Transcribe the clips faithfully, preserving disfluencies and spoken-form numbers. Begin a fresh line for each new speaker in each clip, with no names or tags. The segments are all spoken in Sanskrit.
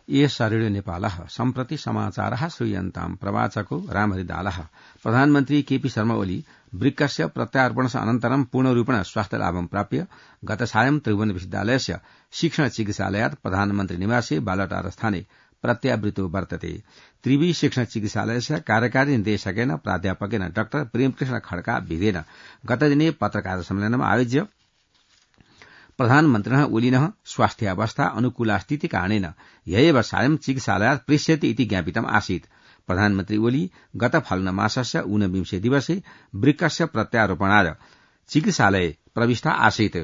एष रेडियो नेपालः सम्प्रति समाचारः श्रूयन्ताम् प्रवाचको रामहरिदालः। प्रधानमन्त्री केपी शर्मा ओली वृक्कस्य प्रत्यार्पणस्य अनन्तरं पूर्णरूपेण स्वास्थ्यलाभं प्राप्य गतसायं त्रिभुवन विश्वविद्यालयस्य शिक्षण चिकित्सालयात् प्रधानमन्त्री निवासे बालटारस्थाने प्रत्यावृतो वर्तते। त्रिवी शिक्षण चिकित्सालयस्य कार्यकारी निर्देशकेन प्राध्यापकेन डाक्टर प्रेमकृष्ण खड्का विधेन गतदिने पत्रकार सम्मेलनम् आयोज्य प्रधानमन्त्रिणः ओलिनः स्वास्थ्यावस्था अनुकूलास्तीति कारणेन ह्येव सायं चिकित्सालयात् प्रेष्यति इति ज्ञापितम् आसीत्। प्रधानमन्त्री ओली गत फाल्गुनमासस्य ऊनविंशे दिवसे वृक्कस्य प्रत्यारोपणाय चिकित्सालये प्रविष्टा आसीत्।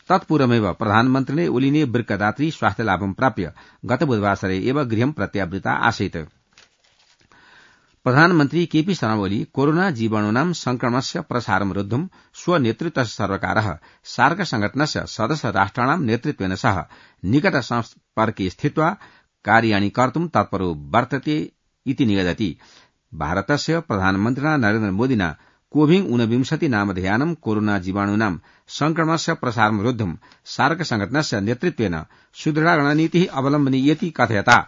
तत्पूर्वमेव प्रधानमन्त्रिणे ओलिने वृक्कदात्री स्वास्थ्यलाभं प्राप्य गत बुधवासरे एव गृहं प्रत्यावृता आसीत्। प्रधानमन्त्री केपी शर्मा ओली कोरोना जीवाणूनां संक्रमणस्य प्रसारं रोद्धुं स्वनेतृत्वस्य सर्वकारः सार्क संघटनस्य सदस्य राष्ट्राणां नेतृत्वेन सह निकट संपर्के स्थित्वा कार्याणि कर्तुं तत्परो वर्तते इति निगदति। भारतस्य प्रधानमन्त्रिणा नरेन्द्र मोदिना कोविड ऊनविंशति नामधेयानं कोरोना जीवाणूनां संक्रमणस्य प्रसारं रोद्धुं सार्क संघटनस्य नेतृत्वेन सुदृढा रणनीतिः अवलम्बनीयेति कथयता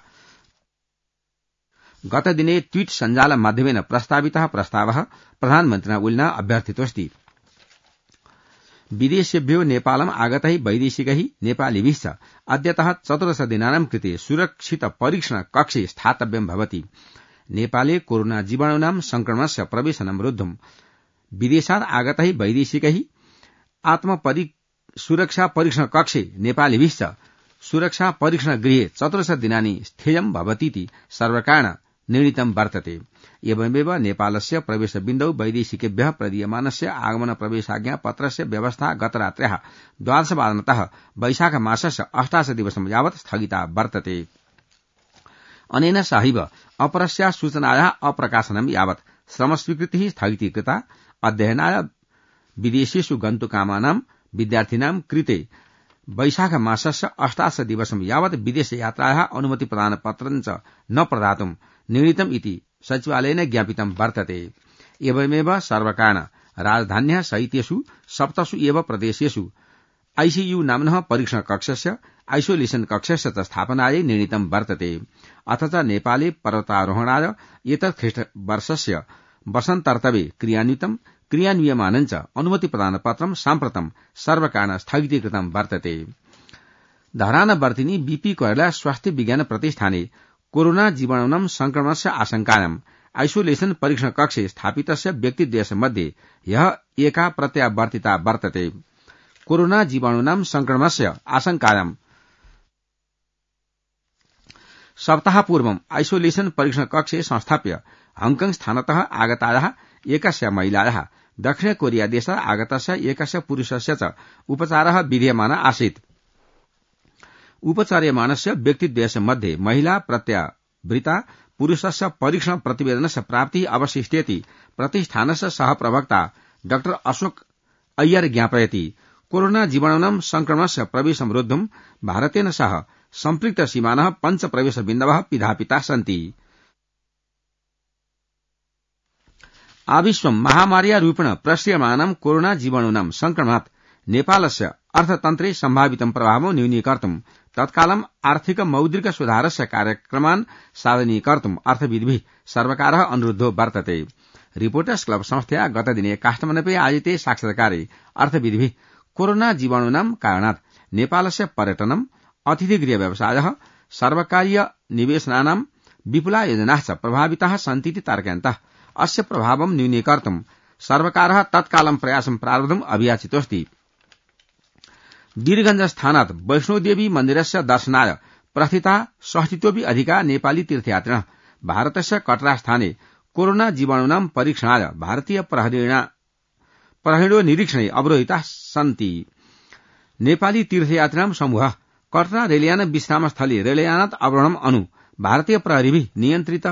गतदिने ट्वीट सञ्जाल माध्यमेन प्रस्तावितः प्रस्तावः प्रधानमन्त्रिणा ओलिना अभ्यर्थितोऽस्ति। विदेशेभ्यो नेपालम् आगतैः वैदेशिकैः नेपालिभिश्च अद्यतः चतुर्दश दिनानां कृते सुरक्षित परीक्षण कक्षे स्थातव्यं भवति। नेपाले कोरोना जीवाणूनां संक्रमणस्य प्रवेशनं रोद्धुं विदेशात् आगतैः वैदेशिकैः आत्मपरि सुरक्षा परीक्षण कक्षे नेपालिभिश्च सुरक्षा परीक्षण गृहे चतुर्दश दिनानि स्थेयं भवतीति सर्वकारेण निर्णीतं वर्तते। एवमेव नेपालस्य प्रवेशबिन्दौ वैदेशिकेभ्यः प्रदीयमानस्य आगमन प्रवेशाज्ञा पत्रस्य व्यवस्था गतरात्र्याः द्वादशवादनतः वैशाख मासस्य अष्टादश दिवसं यावत् स्थगिता वर्तते। अनेन सहैव अपरस्या सूचनायाः अप्रकाशनं यावत् श्रमस्वीकृतिः स्थगितीकृता। अध्ययनाय विदेशेषु गन्तुकामानां विद्यार्थिनां कृते वैशाख मासस्य अष्टादश दिवसं यावत् विदेश यात्रायाः अनुमति प्रदानपत्रं च न प्रदातुं निर्णीतम् इति सचिवालयेन ज्ञापितं वर्तते। एवमेव सर्वकारेण राजधान्याः सहितेषु सप्तसु एव प्रदेशेषु आईसीयू नाम्नः परीक्षण कक्षस्य आइसोलेशन कक्षस्य च स्थापनायै निर्णीतं वर्तते। अथ च नेपाले पर्वतारोहणाय एतत् ख्रीष्टवर्षस्य वसन्तर्तवे क्रियान्वितं क्रियान्वियमानं च अनुमति प्रदानपत्रं साम्प्रतं सर्वकारेण स्थगितीकृतं वर्तते। धरानवर्तिनी बीपी कोइराला स्वास्थ्य विज्ञान प्रतिष्ठाने कोरोना जीवाणूनां संक्रमणस्य आशंकायाम् आइसोलेशन परीक्षण कक्षे स्थापितस्य व्यक्तिद्वयस्य ह्यः एका प्रत्यावर्तिता वर्तते। कोरोना जीवाणूनां संक्रमणस्य आशंकायाम् सप्ताहपूर्वम् आइसोलेशन परीक्षण कक्षे संस्थाप्य हांगकांग स्थानतः आगतायाः एकस्य महिलायाः दक्षिण कोरिया देशात् आगतस्य एकस्य पुरुषस्य च उपचारः विधीयमान आसीत्। उपचार्यमाणस्य व्यक्तिद्वयस्य मध्ये महिला प्रत्यावृता पुरुषस्य परीक्षण प्रतिवेदनस्य प्राप्तिः अवशिष्येति प्रतिष्ठानस्य सहप्रवक्ता डाक्टर अशोक अय्यर ज्ञापयति। कोरोना जीवाणूनां संक्रमणस्य प्रवेशं रोद्धुं भारतेन सह सम्पृक्त सीमानः पञ्च प्रवेशबिन्दवः पिधापिताः सन्ति। आविश्वं महामार्या रूपेण प्रश्रियमाणं कोरोना जीवाणूनां संक्रमणात् नेपालस्य अर्थतन्त्रे सम्भावितं प्रभावं न्यूनीकर्तुं तत्कालम् आर्थिक मौद्रिक सुधारस्य कार्यक्रमान् साधनीकर्तुं अर्थविद्भिः सर्वकारः अनुरुद्धो वर्तते। रिपोर्टर्स क्लब संस्थया गतदिने काठमाडौँे आयोजिते साक्षात्कारे अर्थविद्भिः कोरोना जीवाणूनां कारणात् नेपालस्य पर्यटनम् अतिथिगृह व्यवसायः सर्वकारीय निवेशनानां विपुला योजनाः च प्रभाविताः सन्तीति तार्कयन्तः अस्य प्रभावं न्यूनीकर्तुं सर्वकारः तत्कालं प्रयासं प्रारब्धुम् अभियाचितोऽस्ति। वीरगंज स्थानात् वैष्णोदेवी मन्दिरस्य दर्शनाय प्रस्थिता षष्टितोऽपि अधिका नेपाली तीर्थयात्रिणः भारतस्य कटरा स्थाने कोरोना जीवाणूनां परीक्षणाय भारतीय प्रहरीणो निरीक्षणे अवरोधिताः सन्ति। नेपाली तीर्थयात्रिणां समूहः कटरा रेलयान विश्रामस्थले रेलयानात् अवरोहणम् अनु भारतीय प्रहरीभिः नियन्त्रित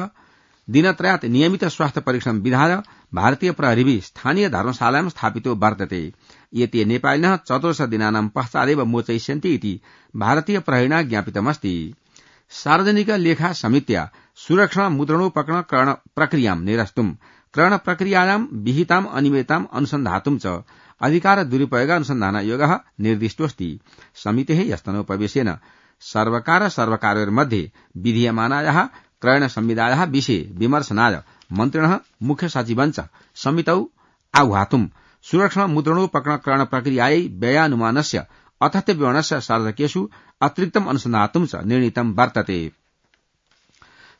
दिनत्रयात् नियमित स्वास्थ्य परीक्षणं विधाय भारतीय प्रहरीभिः स्थानीय धर्मशालायां स्थापितो वर्तते। एते नेपालिनः चतुर्दश दिनानां पश्चादेव मोचयिष्यन्ति इति भारतीय प्रहरीणा ज्ञापितमस्ति। सार्वजनिक लेखा समित्या सुरक्षण मुद्रणोपकरण करण प्रक्रियां निरस्तुं करण प्रक्रियायां विहिताम् अनियमितताम् अनुसन्धातुं च अधिकार दुरुपयोग अनुसन्धान आयोगः निर्दिष्टोऽस्ति। समितेः यस्तनोपवेशेन सर्वकार सर्वकारयोर्मध्ये विधीयमानायाः क्रयण संविदायाः विषये विमर्शनाय मन्त्रिणः मुख्य सचिवञ्च समितौ आह्वातुम् सुरक्षण मुद्रणोपकरण क्रयण प्रक्रियायै व्ययानुमानस्य अथत्य विवरणस्य सार्धकेषु अतिरिक्तम् अनुसन्धातुं च निर्णीतं वर्तते।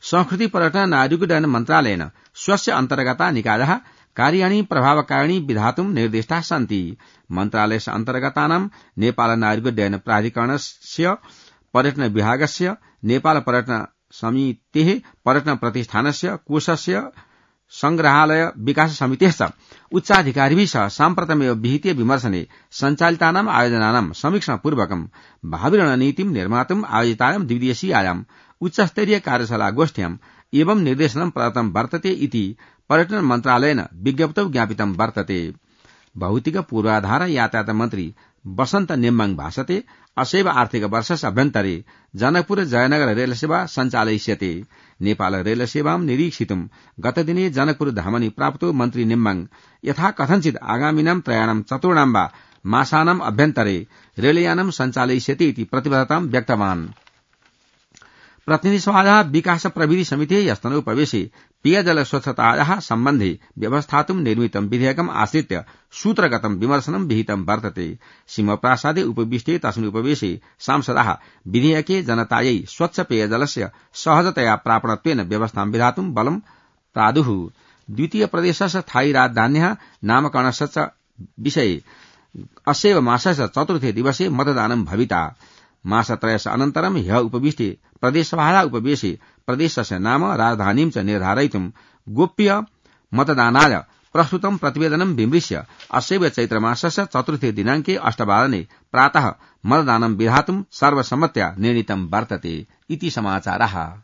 संस्कृति पर्यटन नागरिकोड्डयन मन्त्रालयेन स्वस्य अन्तर्गता निकायः कार्याणि प्रभावकारिणी विधातुं निर्दिष्टाः सन्ति। मन्त्रालयस्य अन्तर्गतानां नेपाल नागरिकोड्डयन प्राधिकरणस्य पर्यटन विभागस्य नेपाल पर्यटन समितेः पर्यटन प्रतिष्ठानस्य कोषस्य संग्रहालय विकास समितेश्च उच्चाधिकारिभिः सह साम्प्रतमेव विहिते विमर्शने सञ्चालितानाम् आयोजनानां समीक्षणपूर्वकं भावि रणनीतिं निर्मातुम् आयोजितायां द्विदिवसीयायाम् उच्चस्तरीय कार्यशाला गोष्ठ्याम् एवं निर्देशनं प्रदत्तं वर्तते इति पर्यटन मन्त्रालयेन विज्ञप्तौ ज्ञापितं वर्तते। भौतिक पूर्वाधार यातायात मन्त्री वसन्त नेम्बाङ भाषते असैव आर्थिक वर्षस्य अभ्यन्तरे जनकपुर जयनगर रेल सेवा सञ्चालयिष्यते। नेपाल रेल सेवां निरीक्षितुं गतदिने जनकपुर धामनि प्राप्तो मन्त्री नेम्बाङ यथा कथञ्चित् आगामिनां त्रयाणां चतुर्णां वा मासानाम् अभ्यन्तरे रेलयानं सञ्चालयिष्यते इति प्रतिबद्धतां व्यक्तवान्। प्रतिनिधिसभायाः विकास प्रविधि समितेः ह्यस्तनोपवेशे पेयजल स्वच्छतायाः सम्बन्धे व्यवस्थातुं निर्मितं विधेयकम् आश्रित्य सूत्रगतं विमर्शनं विहितं वर्तते। सिंहप्रासादे उपविष्टे तस्मिन् उपवेशे सांसदाः विधेयके जनतायै स्वच्छ पेयजलस्य सहजतया प्रापणत्वेन व्यवस्थां विधातुं बलं प्रादुः। द्वितीय प्रदेशस्य स्थायी राजधान्याः नामकरणस्य विषये अस्यैव मासस्य चतुर्थे दिवसे मतदानं भविता। मासत्रयस्य अनन्तरं ह्यः उपविष्टे प्रदेशसभायाः उपवेशे प्रदेशस्य नाम राजधानीं च निर्धारयितुं गोप्य मतदानाय प्रस्तुतं प्रतिवेदनं विमृश्य अस्यैव चैत्रमासस्य चतुर्थे दिनाङ्के अष्टवादने प्रातः मतदानं विधातुं सर्वसम्मत्या निर्णीतं वर्तते इति समाचारः।